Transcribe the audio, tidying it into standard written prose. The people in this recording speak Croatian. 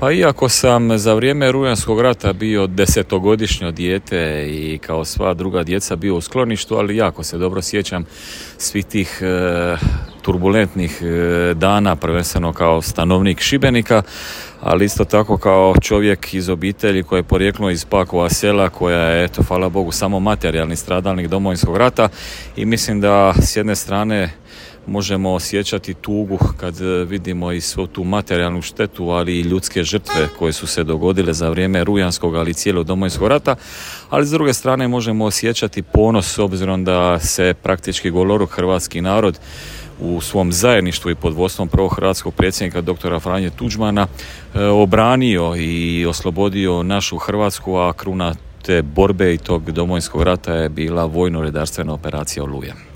Pa iako sam za vrijeme Rujanskog rata bio 10-godišnje dijete i kao sva druga djeca bio u skloništu, ali jako se dobro sjećam svih tih turbulentnih dana, prvenstveno kao stanovnik Šibenika, ali isto tako kao čovjek iz obitelji koja je porijeklo iz Pakova sela, koja je, eto, hvala Bogu, samo materijalni stradalnik Domovinskog rata, i mislim da s jedne strane možemo osjećati tugu kad vidimo i svu tu materijalnu štetu, ali i ljudske žrtve koje su se dogodile za vrijeme Rujanskog, ali i cijelog Domovinskog rata, ali s druge strane možemo osjećati ponos s obzirom da se praktički goloruk hrvatski narod u svom zajedništvu i pod vodstvom prvog hrvatskog predsjednika doktora Franje Tuđmana obranio i oslobodio našu Hrvatsku, a kruna te borbe i tog Domovinskog rata je bila vojno-redarstvena operacija Oluja.